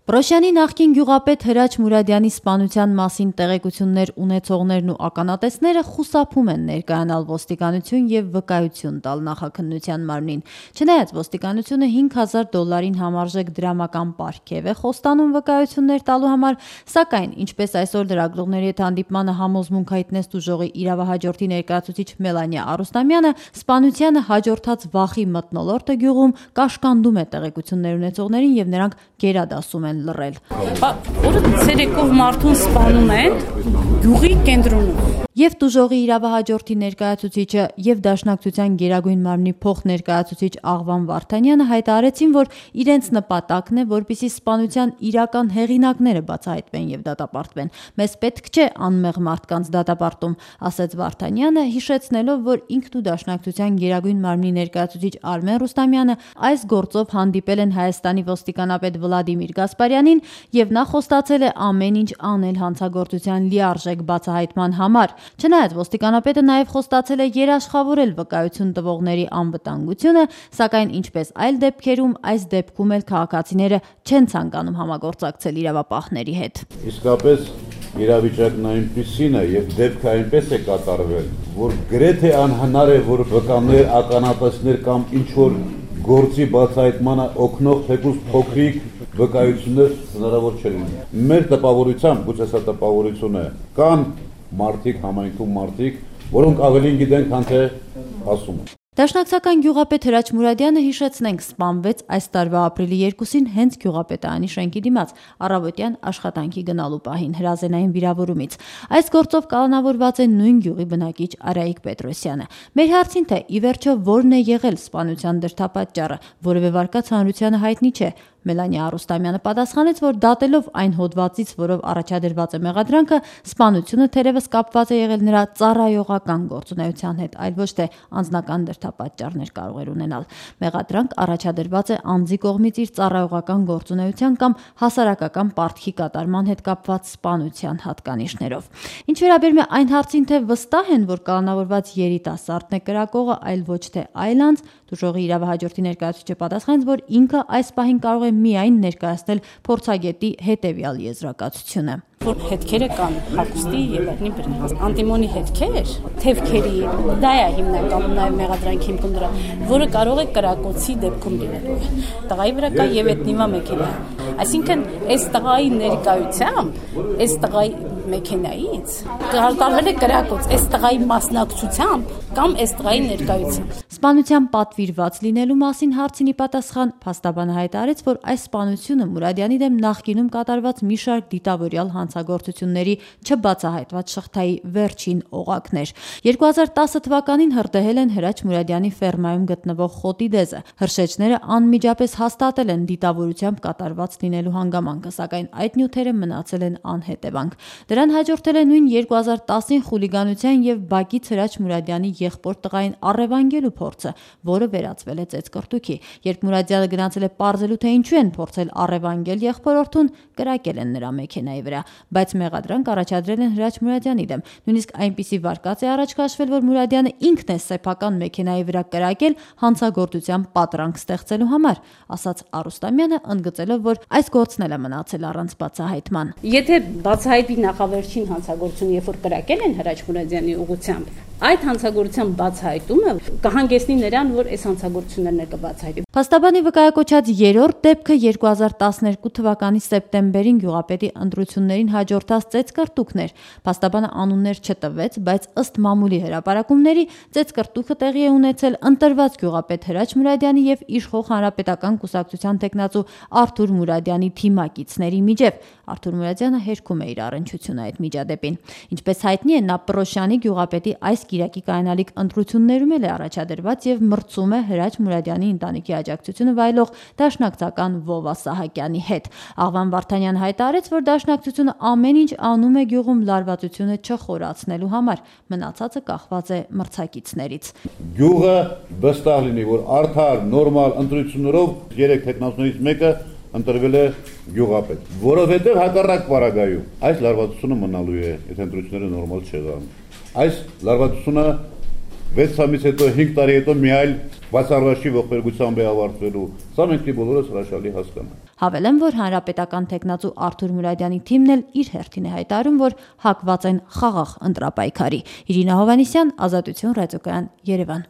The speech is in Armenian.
Պրոշյանի նախկին գյուղապետ Հրաչ Մուրադյանի սպանության մասին տեղեկություններ ունեցողներն ու ականատեսները խուսափում են ներկայանալ ոստիկանություն և վկայություն տալ նախաքննության մարմնին։ Չնայած ոստիկանությունը $5,000 համարժեք դրամական պարգև է խոստանում վկայություններ տալու համար, սակայն, ինչպես այսօր լրագրողների հետ հանդիպմանը համոզմունք հայտնեց տուժողի իրավահաջորդի ներկայացուցիչ Մելանիա Արուստամյանը, սպանությանը հաջորդած վախի մթնոլորտը գյուղում կաշկանդում է տեղեկություններ ունեցողներին և նրանք գերադասում են լռել։ Օրը ցերեկով մարդուն սպանում են գյուղի կենտրոնում։ Եվ տուժողի իրավահաջորդի ներկայացուցիչը և Դաշնակցության Գերագույն մարմնի փոխներկայացուցիչ Աղվան Վարդանյանը հայտարարեցին, որ իրենց նպատակն է, որպեսզի սպանության իրական հեղինակները բացահայտվեն և դատապարտվեն։ Մեզ պետք չէ անմեղ մարդկանց դատապարտում, ասաց Վարդանյանը, հիշեցնելով, որ ինքն ու Դաշնակցության Գերագույն մարմնի ներկայացուցիչ Արմեն Ռուստամյանը այս գործով հանդիպել են Հայաստանի ոստիկանապետ Վլադիմիր Գասպարյանին և նա խոստացել է ամեն ինչ անել հանցագործության լիարժեք բացահայտման համար։ Չնայած ոստիկանապետը նաև խոստացել է երաշխավորել վկայություն տվողների անվտանգությունը, սակայն ինչպես այլ դեպքերում, այս դեպքում էլ քաղաքացիները չեն ցանկանում համագործակցել իրավապահների հետ։ Իսկապես իրավիճակն այնպիսին է և դեպքը այնպես է կատարվել, որ գրեթե անհնար է, որ վկաներ, ականատեսներ կամ ինչ-որ գործի բացահայտմանը օգնող թեկուզ փոքրիկ վկայություններ հնարավոր չէ լինի։ Մեր տպավորությամբ, գուցե սա տպավորություն է, կան մարդիկ, համայնքում մարդիկ, որոնք ավելին գիտեն, քան թե ասում են։ Դաշնակցական գյուղապետ Հրաչ Մուրադյանը, հիշեցնենք, սպանվեց այս տարվա ապրիլի 2-ին հենց գյուղապետարանի շենքի դիմաց առավոտյան աշխատանքի գնալու պահին հրազենային վիրավորումից։ Այս գործով կալանավորված է նույն գյուղի բնակիչ Արայիկ Պետրոսյանը։ Մեր հարցին, թե ի վերջո որն է եղել սպանության դրդապատճառը, որևէ վարկած հանրությանը հայտնի չէ, Մելանիա Արուստամյանը պատասխանեց, որ դատելով այն հոդվածից, որով առաջադրված է մեղադրանքը, սպանությունը թերևս կապված է եղել նրա ծառայողական գործունեության հետ, այլ ոչ թե անձնական դրդապատճառներ կարող էր ունենալ։ Մեղադրանք առաջադրված է անձի կողմից իր ծառայողական գործունեության կամ հասարակական պարտքի կատարման հետ կապված սպանության հատկանիշներով։ Ինչ վերաբերում է այն հարցին, թե վստահ են, որ կալանավորված երիտասարդն է կրակողը, այլ ոչ թե այլ անձ, տուժողի իրավահաջորդի ներկայացուցիչը պատասխանեց, որ ինքը այս պահին կարող է միայն ներկայացնել փորձագետի հետևյալ եզրակացությունը։ Որ հետքերը կան հագուստի եւ այլնի վրա, անտիմոնի հետքեր, թևքերի, դա է հիմնականում նաեւ մեղադրանքի հիմքում դրա, որը կարող է կրակոցի դեպքում լինելու։ Տղայի վրա կա եւ էտնիվա մեքենա։ Այսինքն, այս տղայի ներկայությամբ, այս տղայի մեքենայից կատարվել է կրակոց, այս տղայի մասնակցությամբ կամ այս տղայի ներկայությամբ։ Սպանության պատվիրված լինելու մասին հարցին ի պատասխան փաստաբանը հայտարարեց, որ այս սպանությունը Մուրադյանի դեմ նախկինում կատարված մի շարք դիտավորյալ հանցագործությունների չբացահայտված շղթայի վերջին օղակն էր։ 2010 թվականին հրդեհել են Հրաչ Մուրադյանի ֆերմայում գտնվող խոտի դեզը։ Հրշեջները անմիջապես հաստատել են դիտավորությամբ կատարված լինելու հանգամանքը, սակայն այդ նյութերը մնացել են անհետևանք։ Դրան հաջորդել է նույն 2010-ին խուլիգանության և Բակից Հրաչ Մուրադյանի եղբոր տղային առևանգելու փորձը, որը վերածվել է ծեծկռտուքի։ Երբ Մուրադյանը գնացել է պարզելու, թե ինչու են փորձել առևանգել եղբորորդուն, կրակել են նրա մեքենայի վրա, բայց մեղադրանք առաջադրել են Հրաչ Մուրադյանի դեմ։ Նույնիսկ այնպիսի վարկած է առաջ քաշվել, որ Մուրադյանը ինքն է սեփական մեքենայի վրա կրակել հանցագործության պատրանք ստեղծելու համար, ասաց Արուստամյանը, ընդգծելով, որ այս գործն էլ է մնացել առանց բացահայտման։ Եթե բացահայտվի նախավերջին հանցագործությունը, երբ որ կրակել են Հրաչ Մուրադյանի ուղղությամբ, այդ հանցագործության բացահայտումը կհանգեցնի նրան, որ այս հանցագործություններն կբացահայտվի։ Փաստաբանի վկայակոչած երրորդ դեպքը 2012 թվականի սեպտեմբերին գյուղապետի ընտրություններին հաջորդած ծեծկռտուքն էր։ Փաստաբանը անուններ չտվեց, բայց ըստ մամուլի հրապարակումների ծեծկռտուքը տեղի է ունեցել ընտրված գյուղապետ Հրաչ Մուրադյանի և իշխող հանրապետական կուսակցության տեխնացու Արթուր Մուրադյանի թիմակիցների միջև։ Արթուր Մուրադյանը հերքում է իր առնչությունը այդ միջադեպին։ Ինչպես հայտնի է, նա Պրոշյանի գյուղապետի այս կիրակի կայանալիք ընտրություններում էլ է առաջադրված և մրցում է Հրաչ Մուրադյանի ընտանիքի աջակցությունը վայելող դաշնակցական Վովա Սահակյանի հետ։ Աղվան Վարդանյանը հայտարարեց, որ դաշնակցությունը ամեն ինչ անում է գյուղում լարվածությունը չխորացնելու համար, մնացածը կախված է մրցակիցներից։ Գյուղը վստահ լինի, որ արդար, նորմալ ընտրություններով 3 տեխնացուներից մեկը ընտրվել է գյուղապետ, որովհետև հակառակ պարագայում այս լարվածությունը մնալու է, եթե ընտրությունները նորմալ չեղան։ Այս լարվածությունը 6 ամիս հետո 5 տարի հետո մի այլ բացառաշի ողբերգությամբ է ավարտվելու։ Սա մենք բոլորս հրաշալի հասկանանք։ Հավելեմ, որ հանրապետական թեկնածու Արթուր Մուրադյանի թիմն էլ իր հերթին է հայտարարում, որ հակված են խաղաղ ընտրապայքարի։ Իրինա Հովհաննիսյան, Ազատություն ռադիոկայան, Երևան։